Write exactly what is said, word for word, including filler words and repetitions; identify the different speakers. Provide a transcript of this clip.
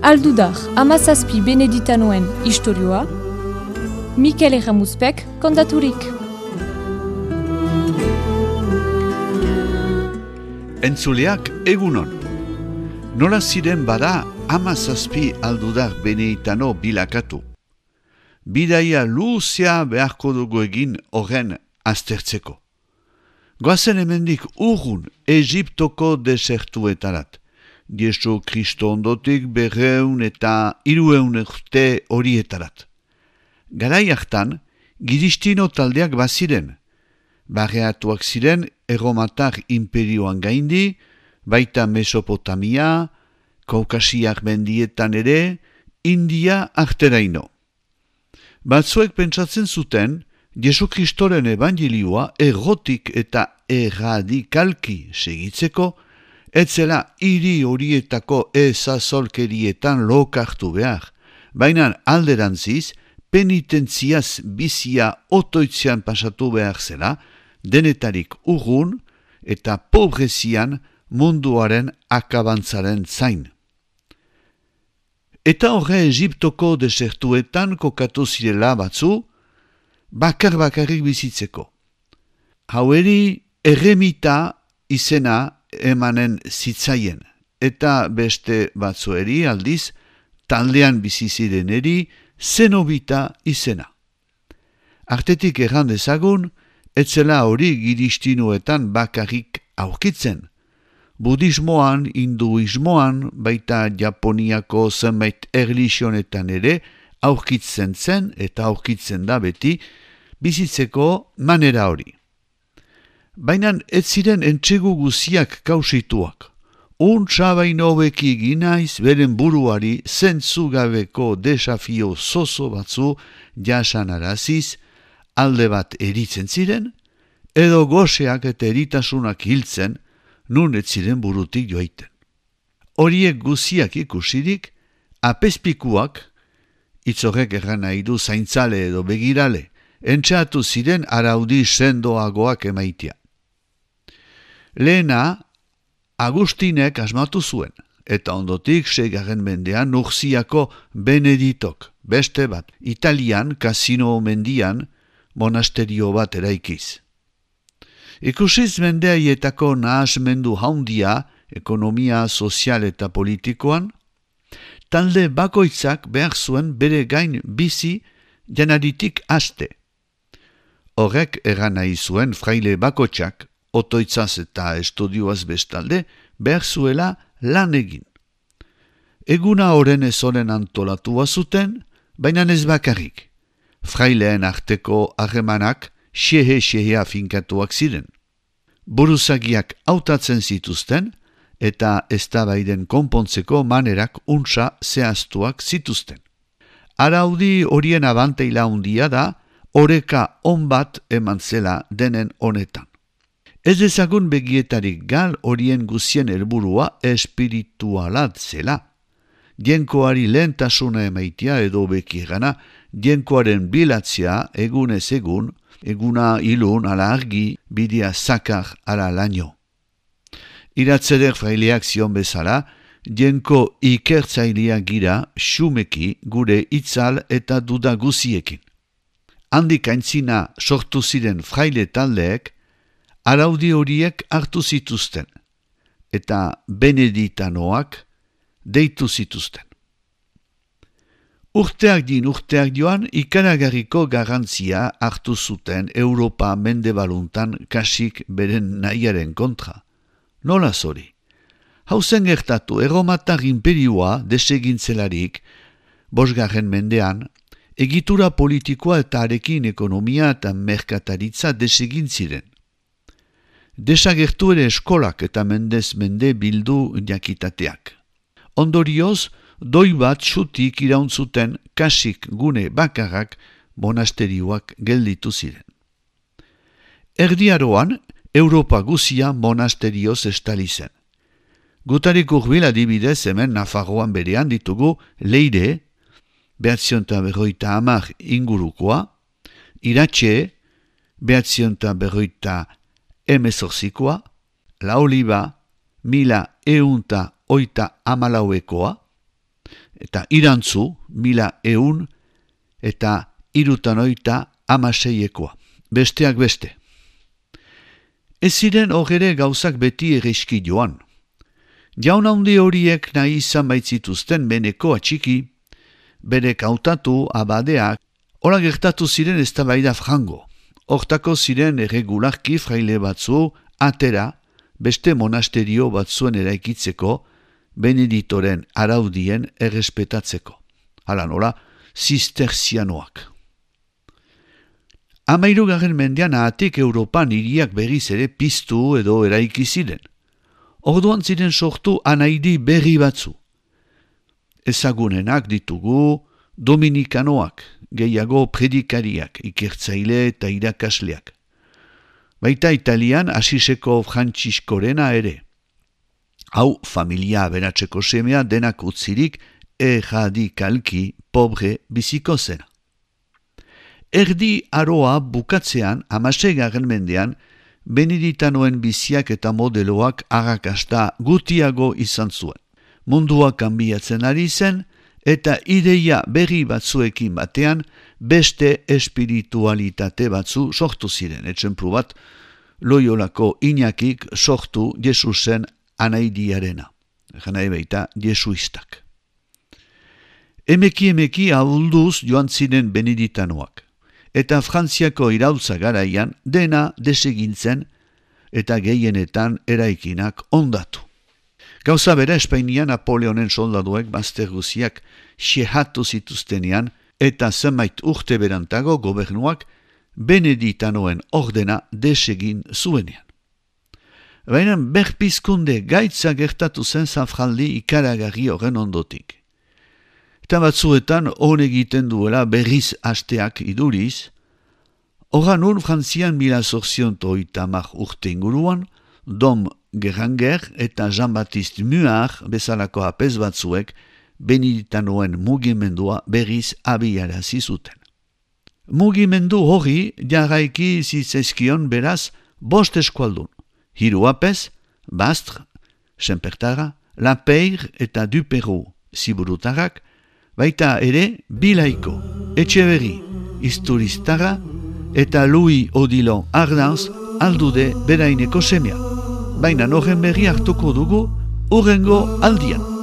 Speaker 1: Aldudar, hamazazpi beneditanoen istorioa, Mikel Erramuzpek kontaturik.
Speaker 2: Entzuleak egunon. Nola ziren bada hamazazpi aldudar beneditano bilakatu. Bidaia luzea beharko dugu egin horren aztertzeko. Goazen hemendik urrun Egiptoko desertuetarat. Jesu Kristo ondotik berreun eta hirueun urte horietarat. Garai hartan, Giristino taldeak baziren. Barreatuak ziren Erromatar imperioan gaindi, baita Mesopotamia, Kaukasiak mendietan ere, India arteraino. Batzuek pentsatzen zuten, Jesu Kristoren evangelioa errotik eta erradikalki segitzeko, etzela hiri horietako ezazolkerietan lokartu behar, baina alderantziz, penitentziaz bizia otoitzean pasatu behar zela, denetarik urrun eta pobrezian munduaren akabantzaren zain. Eta horre Egiptoko desertuetan kokatu zirela batzu, bakar bakarrik bizitzeko. Haueri erremita izena emanen zitzaien, eta beste batzueri aldiz, taldean bizizireneri zenobita izena. Artetik erran dezagun, etzela hori giristinoetan bakarrik aurkitzen. Budismoan, hinduismoan, baita Japoniako zenbait erlijionetan ere aurkitzen zen eta aurkitzen da beti bizitzeko manera hori. Baina ez ziren entsegu guziak kausituak. Untsa baino beki ginaiz beren buruari zentzugabeko desafio zozo batzu jasanaraziz, alde bat eritzen ziren, edo goseak eta eritasunak hiltzen, nun ez ziren burutik joaiten. Horiek guziak ikusirik, apezpikuak, itzorek erran nahi du zaintzale edo begirale, entxatu ziren araudi sendoagoak emaitia. Lehena, Agustinek asmatu zuen, eta ondotik seigarren mendean Nurziako Beneditok, beste bat, Italian, Casino mendian, monasterio bat eraikiz. Ikusiz mendeaietako nahasmendu haundia, ekonomia, sozial eta politikoan, talde bakoitzak behar zuen bere gain bizi janaritik haste. Horrek erran nahi zuen fraile bakoitzak, otoitzaz eta estudioaz bestalde, behar zuela lan egin. Eguna horren ezoren antolatua zuten, baina ez bakarrik. Fraileen arteko harremanak xehe-xehea finkatuak ziren. Buruzagiak hautatzen zituzten, eta eztabaiden konpontzeko manerak untsa zehaztuak zituzten. Araudi horien abanteila handia da, oreka on bat eman zela denen honetan. Ez dezagun begietarik gal horien guzien helburua espiritualat zela. Dienkoari lehentasuna emaitia edo bekigana, dienkoaren bilatzea egunez egun, eguna ilun ala argi, bidea zakar ala laino. Iratzeder fraileak zion bezala, dienko ikertzailea gira xumeki gure itzal eta duda guziekin. Handik aintzina sortu ziren fraile taldeek, araudi horiek hartu zituzten, eta beneditanoak deitu zituzten. Urteak din urteak joan ikaragarriko garrantzia hartu zuten Europa mendebaluntan kasik beren nahiaren kontra. Nola zori? Hauzen gertatu Erromatar imperioa desegintzelarik, bosgarren mendean, egitura politikoa eta arekin ekonomia eta merkataritza desegin ziren. Desagertu ere eskolak eta mendez mende bildu jakitateak. Ondorioz, doi bat xutik irauntzuten kasik gune bakarrak monasterioak gelditu ziren. Erdiaroan, Europa guzia monasterioz estali zen. Gutarik urbil adibidez hemen Nafarroan berean ditugu Leire, behatzionta berroita hamar ingurukoa, Iratxe, behatzionta berroita emezorzikoa, La Oliva mila eunta oita amalauekoa, eta Irantzu mila eun eta irutan oita amaseiekoa, besteak beste. Ez ziren hogere gauzak beti egeizki joan. Jaun handi horiek nahi izan baitzituzten beneko atxiki, bere kautatu abadeak, ora gertatu ziren eztabaida frango. Hortako ziren erregularki fraile batzu atera beste monasterio batzuen eraikitzeko, Beneditoren araudien errespetatzeko. Hala nola, zisterzianoak. Hamairugarren mendean ahatik Europan hiriak berriz ere piztu edo eraiki ziren. Orduan ziren sortu anaidi berri batzu. Ezagunenak ditugu dominikanoak, gehiago predikariak, ikertzaile eta irakasleak. Baita Italian Asiseko Frantziskorena ere. Hau familia aberatzeko semea denak utzirik erradikalki pobre biziko zena. Erdi aroa bukatzean hamaseigarren mendean Beneditanoen biziak eta modeloak arrakasta gutiago izan zuen. Mundua kanbiatzen ari zen eta ideia berri batzuekin batean beste espiritualitate batzu sortu ziren. Etxenplu bat Loiolako Iñakik sortu Jesusen anaidiarena. Janai baita jesuistak. Emeki emeki ahulduz joan ziren Beneditanoak. Eta Frantziako iraultza garaian dena desegintzen eta gehienetan eraikinak ondatu. Gauza bera Espainian Napoleonen soldaduek bazter guziak xehatu zituztenean eta zenbait urte berantago gobernuak Beneditanoen ordena desegin zuenean. Baina berpizkunde gaitza gertatu zen zafraldi ikaragarri horren ondotik. Eta batzuetan hon egiten duela berriz hasteak iduriz, horan ur Frantzian mila zortzionto itamar urte inguruan, Dom Geranger eta Jean-Baptiste Muar bezalako apez batzuek Beneditanoen mugimendua berriz abiarazi zuten. Mugimendu hori jarraiki zitzaizkion beraz bost eskualdun. Hiru apez, Bastre, Senpertara, Lapeir eta Duperro ziburutarrak, baita ere Bilaiko, Etxeberri, Isturiztara eta Louis Odilon Ardanz aldude beraineko semea. Baina horren berri hartuko dugu urrengo aldian.